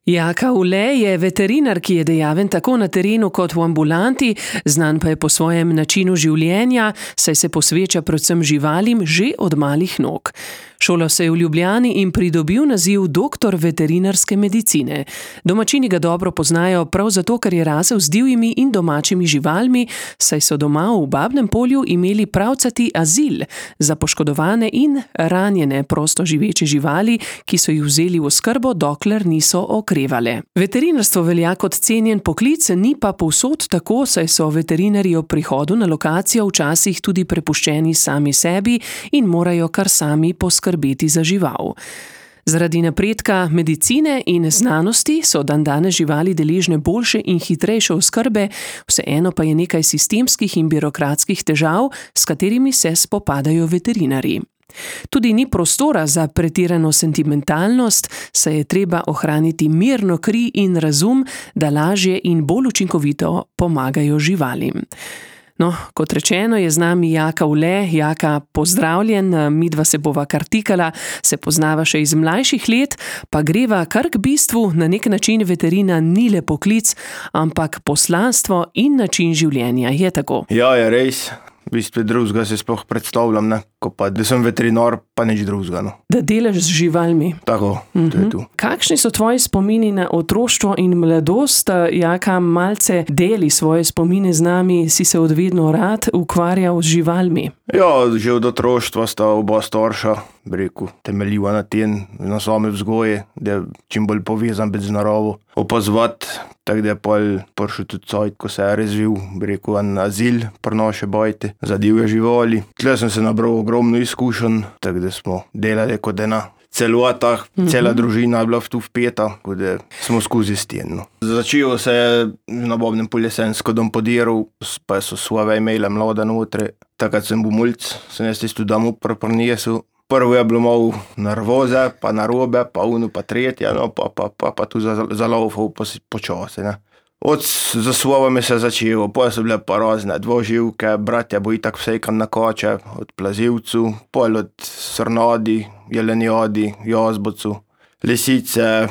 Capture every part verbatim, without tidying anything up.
Jaka Ule je veterinar, ki je dejaven tako na terenu kot v ambulanti, znan pa je po svojem načinu življenja, saj se posveča predvsem živalim že od malih nog. Šolal se je v Ljubljani in pridobil naziv doktor veterinarske medicine. Domačini ga dobro poznajo prav zato, ker je rasel z divjimi in domačimi živalmi, saj so doma v Babnem Polju imeli pravcati azil za poškodovane in ranjene prosto živeče živali, ki so jih vzeli v oskrbo, dokler niso okrevale. Veterinarstvo velja kot cenjen poklic, ni pa povsod tako, saj so veterinarji ob prihodu na lokacijo včasih tudi prepuščeni sami sebi in morajo kar sami poskrbeti za žival. Zaradi napredka medicine in znanosti so dandanes živali deležne boljše in hitrejše oskrbe, vseeno pa je nekaj sistemskih in birokratskih težav, s katerimi se spopadajo veterinarji. Tudi ni prostora za pretirano sentimentalnost, saj je treba ohraniti mirno kri in razum, da lažje in bolj učinkovito pomagajo živalim. No, kot rečeno, je z nami Jaka Ule. Jaka, pozdravljen, midva se bova kar tikala, se poznava še iz mlajših let, pa greva kar k bistvu. Na nek način veterina ni le poklic, ampak poslanstvo in način življenja, je tako? Ja, je res. V bistvu drugega se sploh predstavljam, ne? Ko pa, da sem veterinar, pa nič drugega. No. Da delaš z živalmi. Tako, mm-hmm. To je tu. Kakšni so tvoji spomini na otroštvo in mladost? Jaka, malce deli svoje spomine z nami, si se od vedno rad ukvarjal z živalmi? Ja, že od otroštva sta oba starša, bi rekel, temeljiva na tem, na same vzgoje, da je čim bolj povezan biti z naravo, opazovati, tako da je pol prišel tudi cajt, ko se je razvil, bi rekel, en azil pri naše bajte za divje živali. Tle sem se nabral ogromno izkušenj, tako da smo delali kot ena celota, mm-hmm. Cela družina je bila tu vpeta, kot da smo skozi steno. Začelo se je na Babnem Polju jesensko dom podiral, pa so svoje imele mlada notre. Takrat sem bil mulc, sem jaz tisto dom prinesel. Prvo je bilo malo nervoze, pa narobe, pa uno, pa tretje, no, pa, pa, pa, pa tu zalaufal počasi, ne. Od za svojami se je začelo, potem so bile pa razne dvoživke, bratja bo itak vsejkan na koče, od plazivcu, pol od srnadi, jelenjadi, jazbocu, lisice,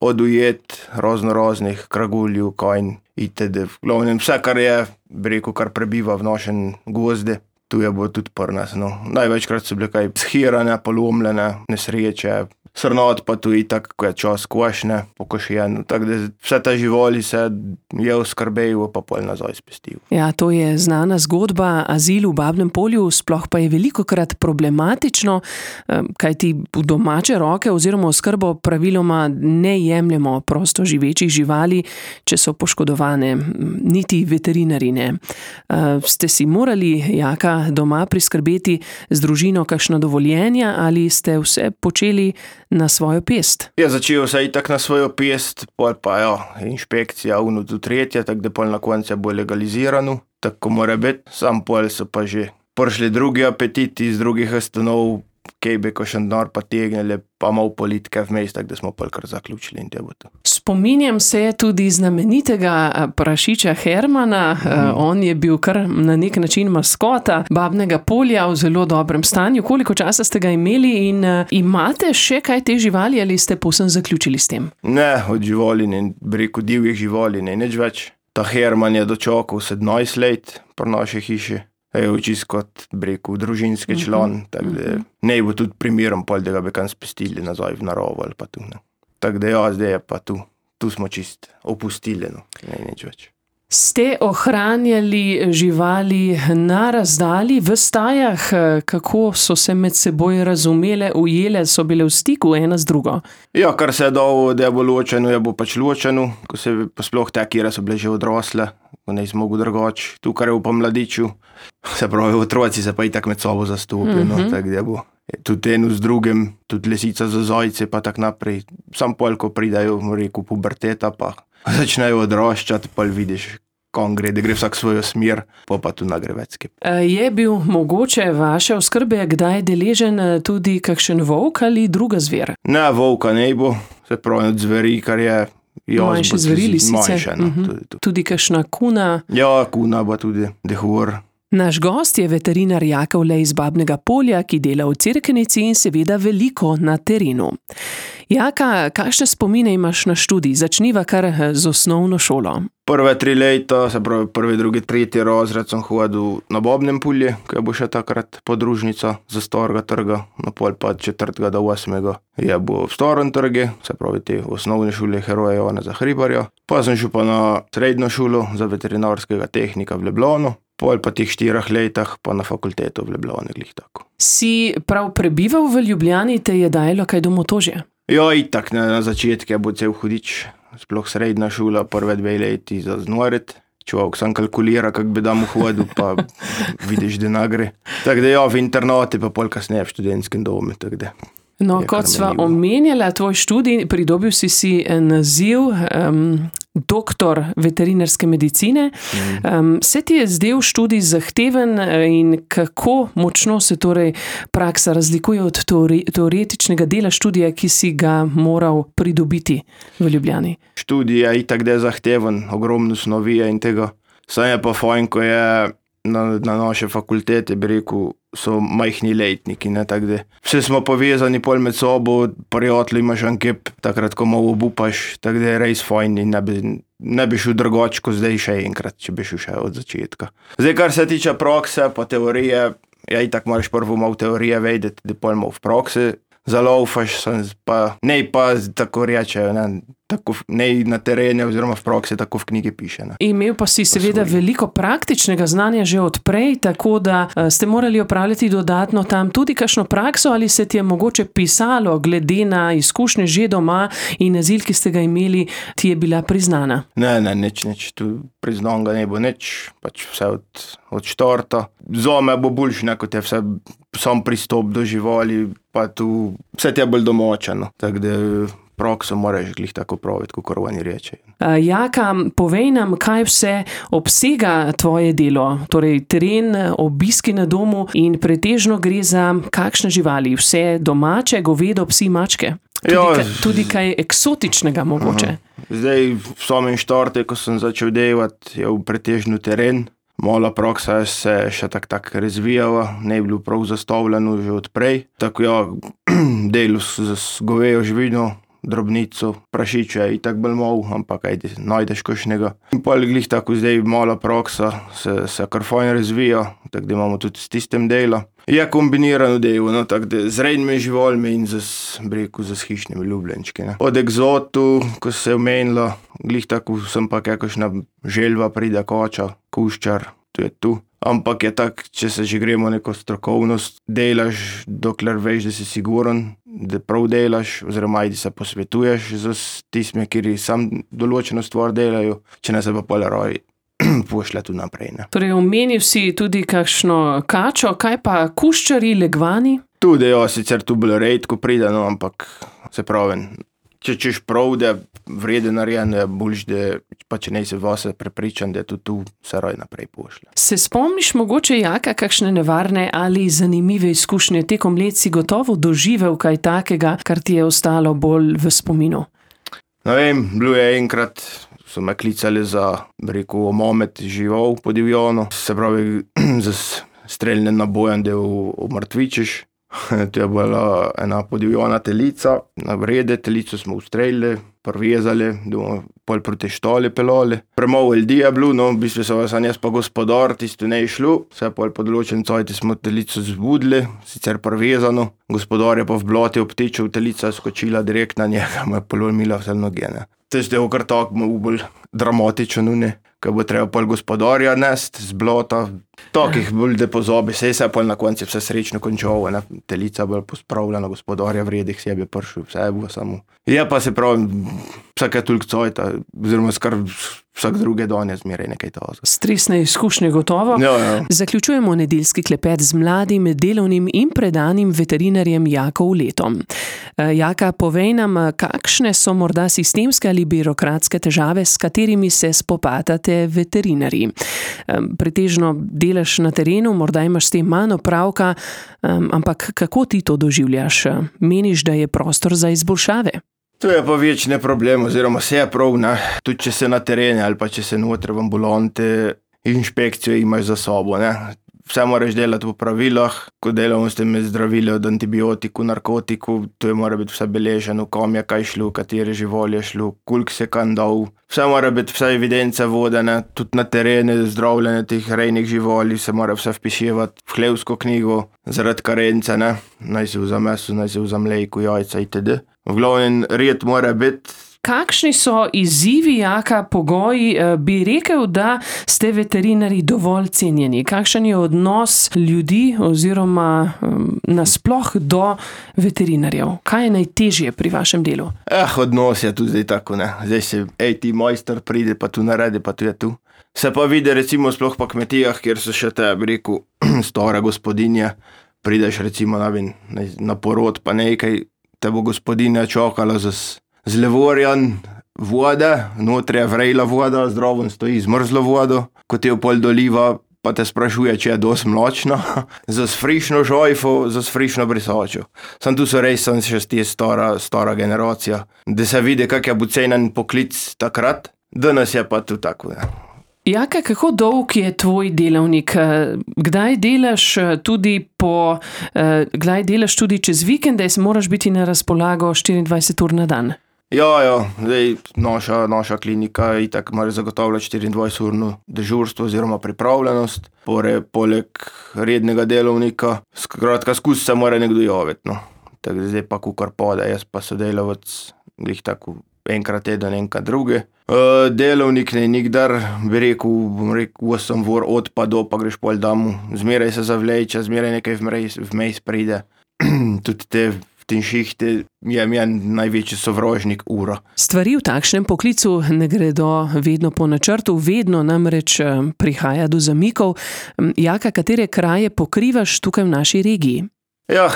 od ujet, razno raznih kragulju, kajn, itd. V glavnem vse, kar je, bi rekel, kar prebiva v našem gozde, tu je bo tudi pri nas, no. Največkrat so bile kaj shirane, polomljene, nesreče, srnad pa tu itak, ko je čas košne, pokošen, tako da vse te živali se je oskrbejo, pa pol nazaj spestil. Ja, to je znana zgodba, azil v Babnem Polju, sploh pa je velikokrat problematično, kajti v domače roke oziroma oskrbo praviloma ne jemljemo prosto živečih živali, če so poškodovane, niti veterinarji ne. Ste si morali, Jaka, doma priskrbeti z družino kakšna dovoljenja ali ste vse počeli na svojo pest? Ja, začel se itak na svojo pest, pol pa ja, inšpekcija, uno tu tretje, tako da pol na koncu bo legalizirano, tako mora biti, sam pol so pa že prišli drugi apetiti iz drugih ustanov, kaj bi ko še denar pa tegnili, pa malo politike vmes, tako da smo pol kar zaključili in te bo to. Spominjam se tudi znamenitega prašiča Hermana, mm. on je bil kar na nek način maskota Babnega Polja v zelo dobrem stanju. Koliko časa ste ga imeli in imate še kaj te živali ali ste povsem zaključili s tem? Ne, od živali ne, bi rekel divjih živali ne, nič več. Ta Herman je dočakal sedemnajst let pri naši hiši. Je čist kot, bi rekel, družinski član, mm-hmm. tako da ne bo tudi primeren pol, da ga bi kam spustili nazaj v naravo ali pa tu. Ne. Tako da ja, zdaj je pa tu. Tu smo čist opustili, no, ne nič več. Ste ohranjali živali na razdalji v stajah? Kako so se med seboj razumele, ujele, so bile v stiku ena z drugo? Ja, kar se je dalo, da je bo ločeno, je bo pač ločeno, ko se pa sploh te, kjere so bile že odrasle, ko ne smo drugač, tu kar je v pomladiču, se pravi, otroci se pa itak med sobo zastopijo, mm-hmm. no, tako da bo. Tudi eno z drugim, tudi lisica za zajce, pa tak naprej. Sam pol, ko pridajo, rekel, puberteta, pa začnejo odraščati, pa vidiš, kam gre, da gre vsak svojo smer, pa pa tu nagre vecke. Je bil mogoče vaše oskrbe kdaj deležen tudi kakšen volk ali druga zver? Ne, volka ne bo, se pravi od zveri, kar je jazbot. Manjše zveri, lisice? Manjše, no, uh-huh. tudi tu. Tudi kakšna kuna? Ja, kuna bo tudi, dehur. Naš gost je veterinar Jaka Olej iz Babnega Polja, ki dela v Cerknici in seveda veliko na terenu. Jaka, kakšne spomine imaš na študij? Začniva kar z osnovno šolo. Prve tri leta, se pravi prvi, drugi, tretji razred sem hodil na Babnem Polju, ki je bo še takrat podružnica za starega trga, na pol pa četrtega do osmega je bo v starem trgu, se pravi te osnovne šole Heroja Janeza Hribarja. Pa sem šel pa na srednjo šolo za veterinarskega tehnika v Ljubljano. Pol pa teh štirih letah pa na fakulteto v Ljubljani, glih tako. Si prav prebival v Ljubljani, te je dajalo kaj do motožja? Ja, itak na, na začetku je bo cel hudič, sploh srednja šola, prve dve leti za znorit. Človek sam kalkulira, kak bi dam hodil, pa vidiš, da nagre. Tako da ja, v internati, pa pol kasneje v študentskem domu, tako da. No, kot sva omenjala tvoj študij, pridobil si si naziv um, doktor veterinarske medicine. Um, se ti je zdel študij zahteven in kako močno se torej praksa razlikuje od teori, teoretičnega dela študija, ki si ga moral pridobiti v Ljubljani? Študij je itak da zahteven, ogromno snovije in tega. Sam je pa fajn, ko je na, na naše fakultete, bi rekel, so majhni letniki, ne, tako da vse smo povezani pol med sobo, prijatelji imaš ankep, takrat, ko malo obupaš, tako da je res fajn in ne bi, ne bi šel drugače, ko zdaj še enkrat, če bi šel še od začetka. Zdaj, kar se tiče prakse, pa teorije, ja, itak moraš prvo malo teorije vedeti, da pol malo v praksi zaloufaš, pa ne pa tako rečejo, ne, tako ne na terenu oziroma v praksi, tako v knjigi piše. Ne. Imel pa si seveda veliko praktičnega znanja že odprej, tako da ste morali opravljati dodatno tam tudi kakšno prakso, ali se ti je mogoče pisalo, glede na izkušnje že doma in naziv, ki ste ga imeli, ti je bila priznana? Ne, ne, nič, nič, tu priznan ga ne bo nič, pač vse od, od štarta. Zame bo boljši, ne, kot je vse sam pristop do živali, pa tu vse ti je bolj domačeno, tako da prakso moraš glih tako praviti, kot oni reče. Jaka, povej nam, kaj vse obsega tvoje delo, torej teren, obiski na domu in pretežno gre za kakšne živali, vse domače, govedo, psi, mačke? Tudi, ja, kaj, tudi kaj eksotičnega mogoče? Aha. Zdaj, v samem štarte, ko sem začel delati, je v pretežno teren. Mala praksa se še tak tak razvijala, ne je bilo prav zastavljeno že odprej. Tako ja, delu z govejo živino, drobnico, prašiče je itak bolj mal, ampak ajde, najdeš kakšnega. In pa glih tako zdaj mala praksa se, se kar fajn razvija, tako da imamo tudi s tistem dela. Je kombinirano delo, no, tako da z rednimi živalmi in z, breku, z hišnimi ljubljenčki. Ne. Od egzotu, ko se je omenila, glih tako sem pa kakšna želva pride, koča, kuščar, to je tu. Ampak je tak, če se že gremo neko strokovnost, delaš, dokler veš, da si siguren, da prav delaš, oziroma ajde se posvetuješ z tistimi, kjer sam določeno stvar delajo, če ne se pa polaroj pošle tu naprej. Ne. Torej, omenil si tudi kakšno kačo, kaj pa kuščari, legvani? Tudi, ja, sicer tu bolj redko pride, no, ampak se pravi, če češ prav, da je vreden narejen, je boljš, da pa če ne si vase prepričan, da je tudi tu se raj naprej pošle. Se spomniš mogoče, Jaka, kakšne nevarne ali zanimive izkušnje tekom let si gotovo doživel kaj takega, kar ti je ostalo bolj v spominu? Ne vem, bilo je enkrat, so me klicali za, rekel, omomet žival po divjanu, se pravi, za streljne nabojem, da jo omrtvičiš. To je bila ena podivjana telica, na vrede telico smo ustrelili, prvezali, da bomo pol proti štali pelali. Premalo ljudi je bilo, no, v bistvu se vas jaz pa gospodar, tisto ne je šlo, vse pol po določen cajti smo telico zbudili, sicer prvezano, gospodar je pa v blati obtičal, telica je skočila direkt na njega, mu je polomila vse noge, ne. Tež je kar tako malo bolj dramatično, ne, ko bo treba pol gospodarja nesti z blata, takih bolj da pozabi, sej se je pol na konci vse srečno končalo, ne, telica bolj pospravljena, gospodarja vredih sebi pršil, vse je bilo samo. Je pa se pravi, vsake toliko cajta, oziroma skar vsak druge dan je zmeraj nekaj tazga. Stresne izkušnje gotovo. Ja, ja. Zaključujemo nedeljski klepet z mladim, delovnim in predanim veterinarjem Jako Oletom. Jaka, povej nam, kakšne so morda sistemske ali birokratske težave, s katerimi se spopadate veterinarji. Pretežno delaš na terenu, morda imaš s tem manj opravka, ampak kako ti to doživljaš? Meniš, da je prostor za izboljšave? To je pa večni problem, oziroma vse je prav, ne. Tudi če se na terenu ali pa če se noter v ambulanti, inšpekcijo imaš za sobo, ne. Vse moraš delati po pravilah, ko delamo s temi zdravili od antibiotiku, narkotiku, to je mora biti vse beleženo, kom je kaj šlo, katere živali je šlo, koliko se kam dal. Vse mora biti, vse evidence vodene, tudi na terene, zdravljenje teh rejnih živali, se mora vse vpiševati v hlevsko knjigo, zaradi karence, ne. Naj se vza meso, naj se vza mleko, jajca itd. V glavnem red mora biti. Kakšni so izzivi, Jaka, pogoji? Bi rekel, da ste veterinarji dovolj cenjeni? Kakšen je odnos ljudi oziroma um, nasploh do veterinarjev? Kaj je najtežje pri vašem delu? Eh, odnos je tudi zdaj tako, ne. Zdaj se, ej, ti mojster pride, pa tu naredi, pa tu je tu. Se pa vidi recimo sploh po kmetijah, kjer so še te, bi rekel, stara gospodinja, prideš recimo na, na porod, pa nekaj, te bo gospodinja čakala z z levorjan vode, notri je vrejla voda, zdraven stoji zmrzlo vodo, ko te jo pol doliva, pa te sprašuje, če je dosti mlačna, za frišno žojfo, za frišno brisačo. Sam tu so res, sem še stje stara, stara generacija, da se vidi, kak je bil cenen poklic takrat, danes je pa tu tako, ne. Jaka, kako dolg je tvoj delavnik? Kdaj delaš tudi po, kdaj delaš tudi čez vikende, moraš biti na razpolago štiriindvajset ur na dan? Ja, ja, zdaj naša, naša klinika itak mora zagotavljati štiriindvajseturno dežurstvo oziroma pripravljenost, pore, poleg rednega delovnika, skratka, skus se mora nekdo javiti, no. Tako zdaj pa kukor pade, jaz pa sodelavec, glih tako enkrat teden, enkrat druge. Uh, delovnik ne nikdar, bi rekel, bom rekel, osem ur od pa do, pa greš pol damu, zmeraj se zavleče, zmeraj nekaj vmes pride, tudi te v tem šihte je mjen največji sovražnik ura. Stvari v takšnem poklicu ne gredo vedno po načrtu, vedno namreč prihaja do zamikov. Jaka, katere kraje pokrivaš tukaj v naši regiji? Ja,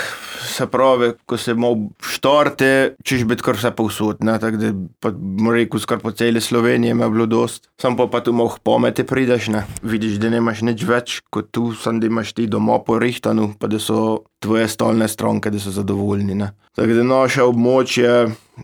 se pravi, ko se malo štarte, češ biti kar vse povsod, ne, tako da, pa bom rekel, skar po celi Sloveniji me je bilo dost. Sam pa pa tu malo pomete prideš, ne, vidiš, da nemaš nič več, kot tu, sam da imaš ti doma porihtano, pa da so tvoje stalne stranke, da so zadovoljni, ne. Tako da naše območje,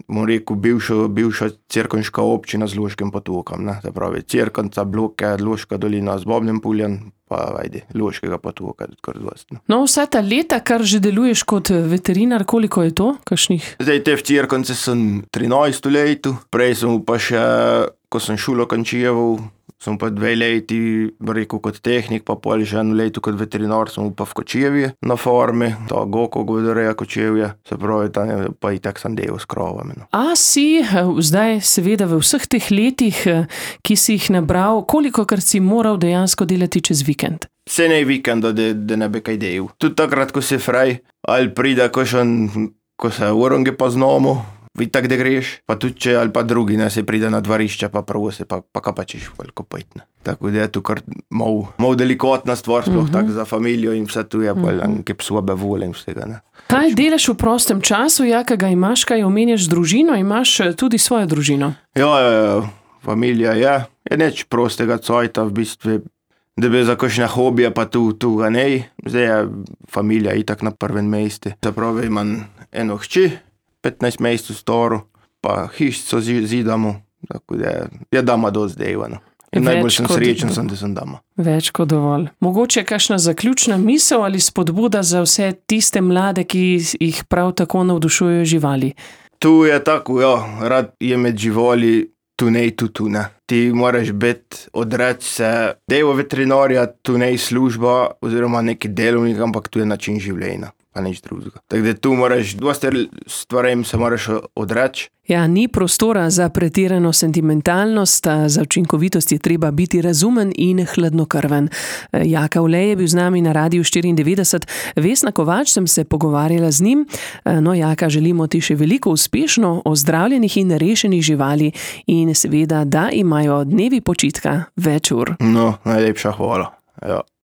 bom rekel, bivša, bivša Cerkniška občina z Loškim potokam, ne, se pravi, Cerknica, Bloke, Loška dolina z Bobnim poljem, pa ajde, Loškega potoka, tudi kar dost. No, vsa ta leta, kar že deluješ kot veterinar, koliko je to? Kakšnih? Zdaj te v Cerknici sem trinajsto leto, prej sem pa še, ko sem šolo končijeval, sem pa dve leti, rekel, kot tehnik, pa pol že eno leto kot veterinar, sem pa v Kočevje na farmi, ta Goko govedoreja Kočevje, se pravi, tam je pa itak sem delal s kravami. No. A si zdaj seveda v vseh teh letih, ki si jih nabral, kolikokrat si moral dejansko delati čez vikend? Se ne vikenda, da, da ne bi kaj delal. Tudi takrat, ko si fraj, ali pride, ko, šen, ko se uronge pa znamo, itak da greš, pa tudi če ali pa drugi, ne, se pride na dvorišče, pa prvo se, pa, pa kapačiš koliko pojt, ne. Tako da je tu kar mal, mal delikatna stvar, sploh uh-huh. tako za familijo in vse tu je, pa uh-huh. nekaj psobe vole in vsega, ne. Kaj delaš v prostem času, Jaka, ga imaš, kaj omenjaš družino, imaš tudi svojo družino? Ja, ja, ja, familija je, je neč prostega cajta, v bistvu, da bi za kakšne hobije, pa tu, tu ga nej, zdaj je familija itak na prvem mestu. Se pravi, imam eno hči, petnajst mesecev staro, pa hišco zidamo, tako da je, je dama dosti delano. In najbolj sem srečen, sem, da sem dama. Več kot dovolj. Mogoče kakšna zaključna misel ali spodbuda za vse tiste mlade, ki jih prav tako navdušujejo živali? Tu je tako, ja, rad je med živali, tu nej, tu tu ne. Ti moraš biti, odreči se delo veterinarja, tu nej služba oziroma neki delovnik, ampak tu je način življenja. Pa nič drugega. Tako da tu moraš, dosti stvarem se moraš odreči. Ja, ni prostora za pretirano sentimentalnost, za učinkovitost je treba biti razumen in hladnokrven. Jaka Olej je bil z nami na Radiu štiriindevetdeset, Vesna Kovač sem se pogovarjala z njim. No, Jaka, želimo ti še veliko uspešno ozdravljenih in rešenih živali in seveda, da imajo dnevi počitka več ur. No, najlepša hvala. Ja.